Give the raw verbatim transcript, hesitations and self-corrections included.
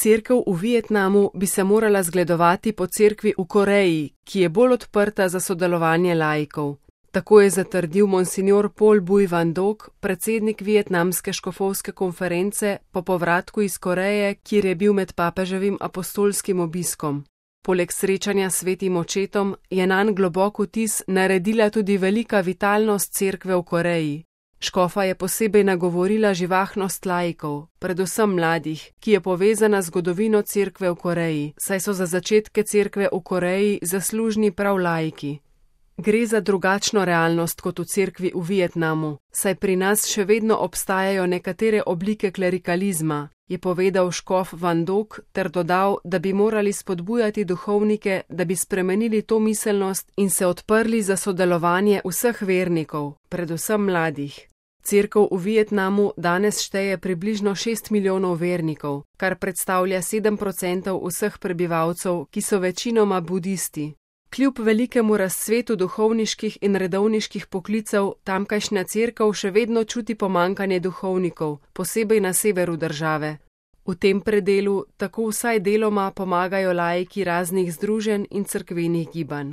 Cerkev v Vietnamu bi se morala zgledovati po cerkvi v Koreji, ki je bolj odprta za sodelovanje laikov. Tako je zatrdil monsinjor Paul Bui Van Dok, predsednik vietnamske škofovske konference po povratku iz Koreje, kjer je bil med papeževim apostolskim obiskom. Poleg srečanja s svetim očetom je nanj globok vtis naredila tudi velika vitalnost cerkve v Koreji. Škofa je posebej nagovorila živahnost laikov, predvsem mladih, ki je povezana z zgodovino cerkve v Koreji, saj so za začetke cerkve v Koreji zaslužni prav laiki. Gre za drugačno realnost kot v cerkvi v Vietnamu, saj pri nas še vedno obstajajo nekatere oblike klerikalizma, je povedal škof Van Dok ter dodal, da bi morali spodbujati duhovnike, da bi spremenili to miselnost in se odprli za sodelovanje vseh vernikov, predvsem mladih. Cerkev v Vietnamu danes šteje približno šest milijonov vernikov, kar predstavlja sedem procentov vseh prebivalcev, ki so večinoma budisti. Kljub velikemu razcvetu duhovniških in redovniških poklicev, tamkajšnja cerkev še vedno čuti pomanjkanje duhovnikov, posebej na severu države. V tem predelu tako vsaj deloma pomagajo laiki raznih združenj in cerkvenih gibanj.